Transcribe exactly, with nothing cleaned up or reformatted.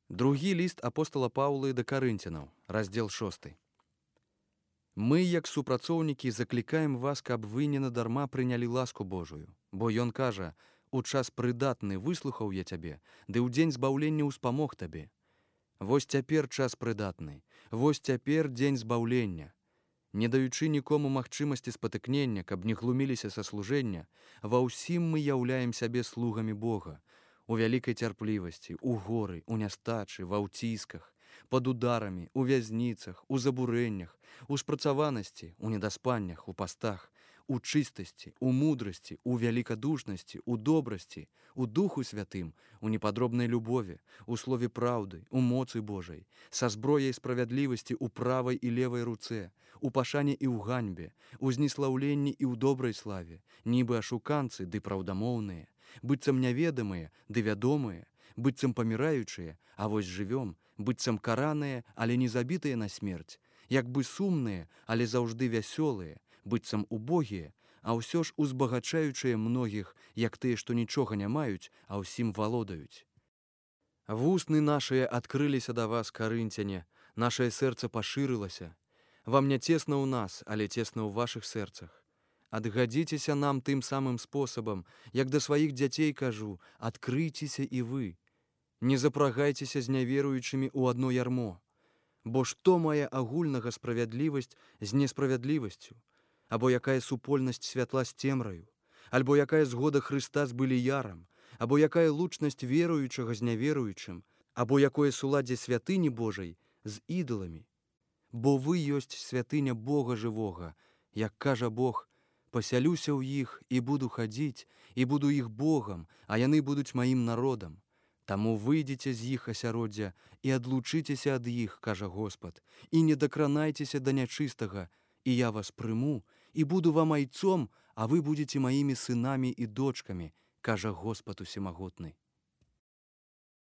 Другі ліст апостала Паўлы да карынцянаў, раздзел шосты. Мы, як супрацоўнікі, заклікаем вас, каб вы не надарма прынялі ласку Божую. Бо ён кажа: «У час прыдатны выслухаў я цябе, ды ў дзень збаўлення ўспамог табе». Вось цяпер час прыдатны, вось цяпер дзень збаўлення. Не даючы нікому магчымасці спатыкнення, каб не глуміліся са служэння, ва ўсім мы яўляем сябе слугамі Бога, у вялікай цярплівасці, у горы, у нястачы, ва ўцісках, пад ударамі, у вязніцах, у забурэннях, у спрацаванасці, у недаспаннях, у пастах, у чыстасці, у мудрасці, у вялікадушнасці, у добрасці, у Духу Святым, у непадробнай любові, у слове праўды, у моцы Божай, са зброяй справядлівасці ў правай і левай руцэ, у пашане і ў ганьбе, у зніслаўленні і ў добрай славе, нібы ашуканцы ды праўдамоўныя, быццам няведамыя ды вядомыя, быццам паміраючыя, а вось жывём, быццам караныя, але не забітыя на смерць, як бы сумныя, але заўжды вясёлыя, быццам убогія, а ўсё ж узбагачаючыя многіх, як тыя, што нічога не маюць, а ўсім валодаюць. Вусны нашыя адкрыліся да вас, карынцяне, нашае сэрца пашырылася. Вам не цесна ў нас, але цесна ў вашых сэрцах. Адгадзіцеся нам тым самым спосабам, як да сваіх дзяцей кажу, адкрыйцеся і вы. Не запрагайцеся з няверуючымі ў адно ярмо. Бо што мае агульнага справядлівасць з несправядлівасцю? Або якая супольнасць святла з цемраю? Альбо якая згода Хрыста з быліярам? Або якая лучнасць веруючага з няверуючым? Або якое суладдзе святыні Божай з ідоламі? Бо вы ёсць святыня Бога жывога, як кажа Бог: «Пасялюся ў іх і буду хадзіць, і буду іх Богам, а яны будуць маім народам. Таму выйдзеце з іх асяроддзя і адлучыцеся ад іх, кажа Господ, і не дакранайцеся да нячыстага, і я вас прыму, і буду вам айцом, а вы будзеце маімі сынамі і дочкамі, кажа Господ усемагутны».